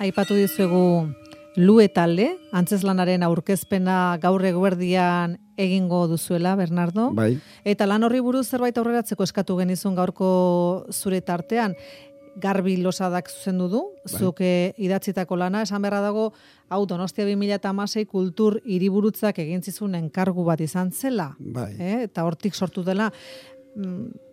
Aipatu dizuegu Lue talde, antzezlanaren aurkezpena gaur eguerdian egingo duzuela, Bernardo. Bai. Eta lan horri buruz zerbait aurreratzeko eskatu genizun gaurko zure tartean. Garbi Losadak zuzendu du, zuk idatzitako lana, esan beharra dago, hau Donostia 2016 kultur hiriburutzak egin zizun enkargu bat izan zela. Bai. Eta hortik sortu dela.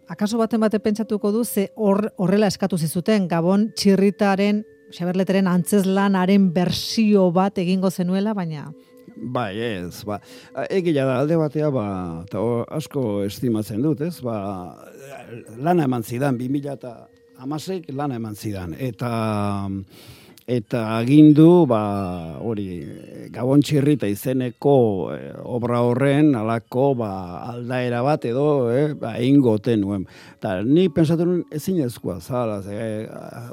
Akaso baten pentsatuko du, ze horrela eskatu zizuten, Gabon txirritaren, Xaberleteren antzezlanaren bersio bat egingo zenuela, baina... Bai, ez, egia da alde batea, eta asko estimatzen dut, ez, lana eman zidan, 2016 lana eman zidan, eta agindu, hori, Gabon txirrita izeneko obra horren, alako, aldaera bat edo, egingo nuen. Eta ni pensatu nuen ezinezkoa,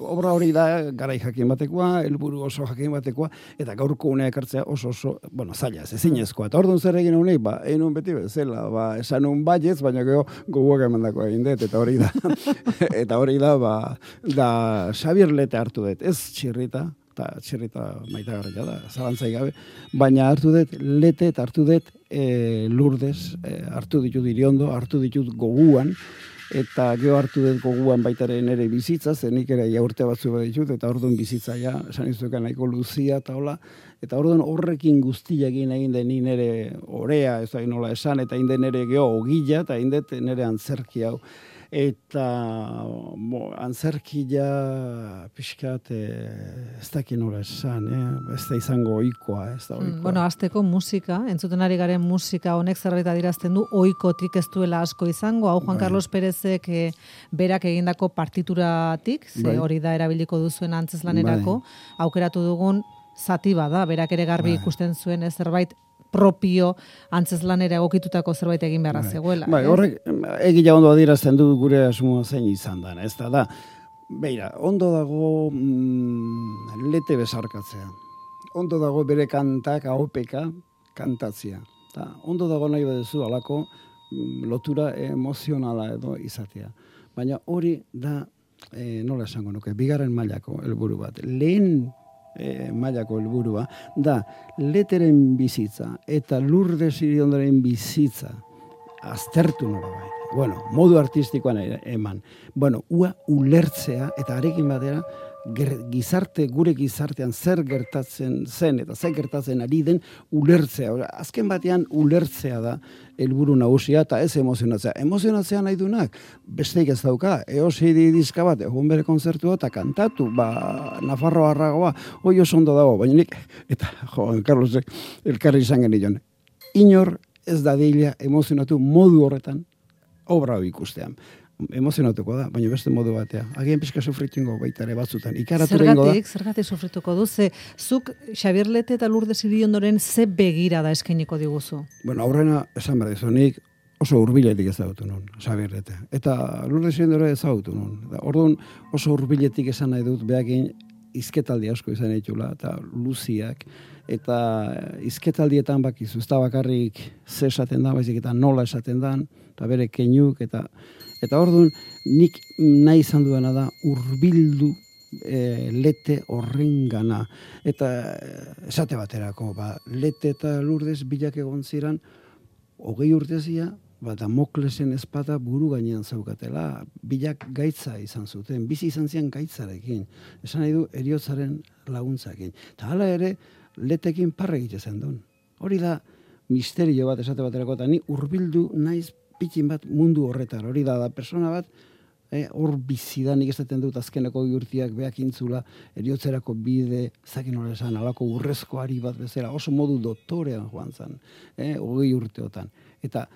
obra hori da garai jakin batekoa, helburu oso jakin batekoa, eta gaurko unea ekartzea oso, zaila, ezinezkoa. Eta orduan zer egin honek, egin beti bezala, esan nun baiez, baina gogoak emandako egin dut, eta hori da, da Xabier Lete hartu dut, ez txirrita, eta txirrita maitagarria da, zalantzai gabe, baina hartu dut Lete eta hartu dut Lourdes, hartu ditut Iriondo, hartu ditut goguan, eta gero hartu dut goguan baitaren ere bizitza, zenik ere urte batzu bat ditut, eta orduan bizitza esan izuekan nahiko luzia eta hola, eta orduan horrekin guztiakin egin den nire orea, ez da nola esan, eta egin den nire geho ogila, eta egin dut nire antzerki hau. Eta antzerkia pixkat ez dakin nola esan, ez da izango ohikoa, ez da ohikoa. Bueno, azteko musika, entzuten ari garen musika honek zerbait adirazten du, ohikotik ez duela asko izango, hau Juan Carlos Pérezek berak egindako partituratik, ze hori da erabiliko duzuen antzezlanerako, aukeratu dugun zati bada, berak ere garbi ikusten zuen zerbait propio antzezlanera egokitutako zerbait egin beharra zegoela. Horrek egia ondo adierazten du gure asmoa zein izan da, ez da, beira, ondo dago Lete besarkatzea. Ondo dago bere kantak ahopeka kantatzea. Ondo dago nahi baduzu alako lotura emozionala edo izatea. Baina hori da, nola esango nuke, bigarren mailako helburu bat. Lehen mailako helburua da Leteren bizitza eta Lourdes Iriondoren bizitza aztertu nola bai. Bueno, modu artistikoan eman. Bueno, ua ulertzea eta arekin batera gure gizartean zer gertatzen zen eta zer gertatzen ari den ulertzea. Azken batean ulertzea da helburu nagusia eta ez emozionatzea. Emozionatzea nahi dunak, besteik ez dauka, eosi dizka bat, egun bere konzertua eta kantatu, Nafarroa arragoa, hoi oso ondo dago, baina nik, eta Juan Carlos elkarri izan genion, inor ez dadila emozionatu modu horretan obra hori ikustean. Emozionatuko da, baina beste modu batea. Agian pixka sufritingo baita ere batzutan. Zergatik sufrituko du? Zuk Xabier Lete eta Lourdes Iriondoren ze begira da eskainiko diguzu? Bueno, aurrena esan behar dizunik oso hurbiletik ezagutu nun, Xabier Lete. Eta Lourdes Iriondoren ezagutu nun. Orduan oso hurbiletik esan nahi dut, behakin izketaldi asko izan ditula, eta luziak, eta izketaldietan bakizu, ez da bakarrik ze esaten da, baizik eta nola esaten dan, eta bere keinuk, eta orduan, nik nahi izan duena da hurbildu Lete horrengana. Eta esate baterako, Lete eta Lourdes bilak egon ziren, 20 urtezia, Damoklesen ezpada buru gainean zaukatela, bilak gaitza izan zuten, bizi izan zian gaitzarekin, esan nahi du heriotzaren laguntzakin. Eta hala ere, Letekin parre egiten duen. Hori da misterio bat esate baterako, eta ni hurbildu naiz pikin bat mundu horretar. Hori da persona bat, hor bizidanik esaten dut azkeneko urtiak behakintzula, eriotzerako bide, zakin hori esan, alako urrezko ari bat bezala, oso modu doktorean joan zen, 20 urteotan. Eta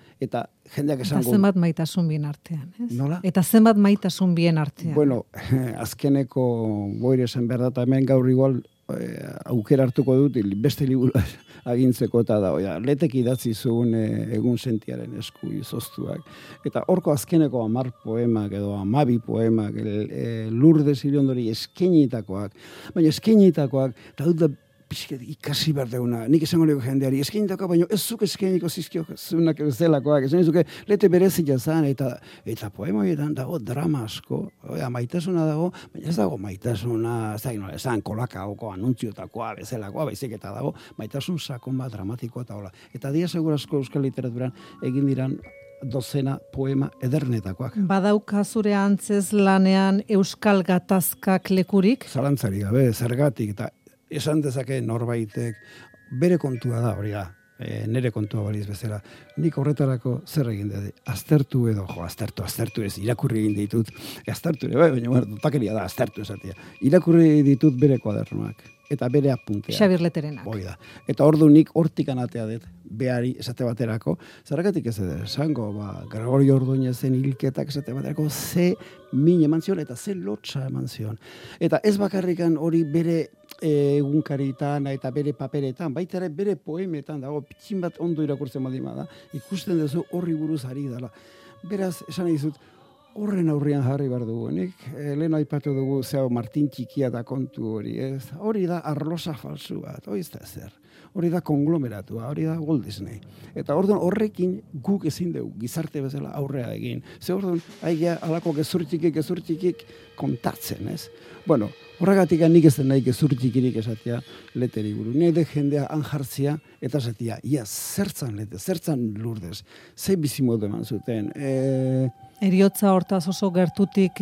jendeak esango... Eta zenbat maitasun bien artean, ez? Nola? Eta zenbat maitasun bien artean. Bueno, azkeneko boire esan behar da, eta hemen gaur igual aukera hartuko dut, beste liburu agintzeko eta da, Letek idatzi zuen egun sentiaren esku izoztuak. Eta horko azkeneko 10 poemak edo 12 poemak, Lourdes Iriondori eskenitakoak, baina eskenitakoak, eta dut da ikasi behar deuna, nik esango lego jendeari, eskenitako, baina ez zuk eskeniko zizkio zunak zelakoak, esan izuke, lete berezia zan, eta poemoietan dago drama asko, maitasuna dago, baina ez dago maitasuna, esan kolakaoko, anuntziotako, bezalakoa, baizik eta dago, maitasun sakon bat dramatikoa eta hola. Eta dia segurazko euskal literaturan egin diran dozena poema edernetakoak. Badauka zure antzez lanean euskal gatazkak lekurik? Zalantzari gabe, zergatik, eta esan dezake norbaitek, bere kontua da, hori da, nere kontua baliz bezala. Nik horretarako zer egin dut, aztertu edo, aztertu ez, irakurri egin ditut, aztertu ere, baina takeria da, aztertu esatia. Irakurri ditut bere kuadernoak, eta bere apuntea. Xabir Leterenak. Hoi da. Eta ordu nik hortik anatea dut, behari esate baterako, zergatik ez edo, esango, Gregorio Ordoñezen hilketak esate baterako, ze min eman zion, eta ze lotxa eman zion. Eta ez bakarrikan hori bere egunkaritan eta bere paperetan, baita ere bere poemetan dago, pitxin bat ondo irakurtzen badima da, ikusten duzu horri buruz ari dela. Beraz, esan dizut, horren aurrian jarri behar dugu. Nik lehen aipatu dugu zeo Martin Txikia da kontu hori, ez? Hori da arlosa falsu bat, hori ez da zer. Hori da konglomeratua, hori da Walt Disney. Eta orduan horrekin guk ezin dugu gizarte bezala aurrea egin. Ze orduan, haigia alako gezurtxikik kontatzen, ez? Bueno, horregatik nik ez den nahi gezurtxikirik esatia leteri buru. Nahi de jendea anjartzia eta esatia, ia, zertzan lete, zertzan Lurdes, ze bizimodu eman zuten. Eriotza hortaz oso gertutik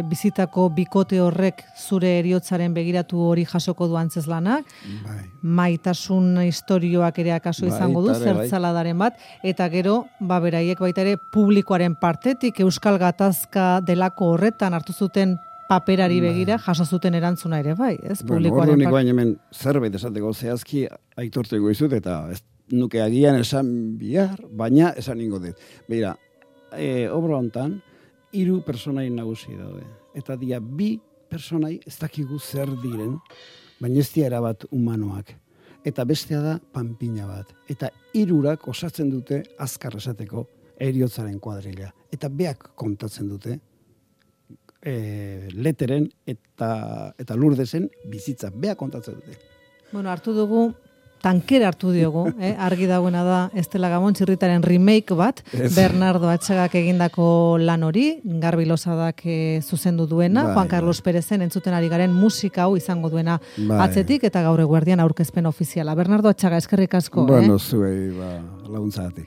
bizitako bikote horrek zure eriotzaren begiratu hori jasoko du antzeslanak. Bai. Maitasun istorioak ere akaso izango du, zertzaladaren bat, eta gero, beraiek baita ere publikoaren partetik euskal gatazka delako horretan hartu zuten paperari begira jaso zuten erantzuna ere bai, ez? Bueno, ordunik baina hemen zerbait esateko zehazki aitorteko izut, eta ez nuke agian esan bihar, baina esan ingo dut. Beira, obra hontan, 3 personai nagusi daude. Eta dia 2 personai ez dakigu zer diren, baina ez dira erabat humanoak. Eta bestea da panpina bat. Eta 3 osatzen dute azkar esateko heriotzaren kuadrilla. Eta beak kontatzen dute Leteren eta Lurdesen bizitza. Beak kontatzen dute. Bueno, tankera hartu diogu, argi dagoena da Estela Gamon Txirritaren remake bat, Bernardo Atxagak egindako lan hori, Garbi Losadak zuzendu duena, Juan Carlos Perezen entzuten ari garen musika hau izango duena atzetik, eta gaur eguerdian aurkezpen ofiziala. Bernardo Atxaga, eskerrik asko. Bueno, zuei, laguntzatik.